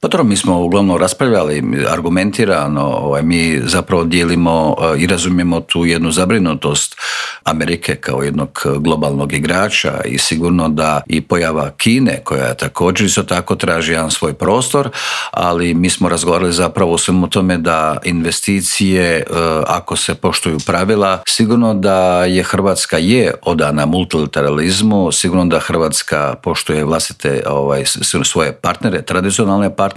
Pa dobro, mi smo uglavnom raspravljali argumentirano, mi zapravo dijelimo i razumijemo tu jednu zabrinutost Amerike kao jednog globalnog igrača i sigurno da i pojava Kine koja također isto tako traži jedan svoj prostor, ali mi smo razgovarali zapravo o svemu tome da investicije, ako se poštuju pravila, sigurno da je Hrvatska odana multilateralizmu, sigurno da Hrvatska poštuje vlastite svoje partnere, tradicionalne partnere,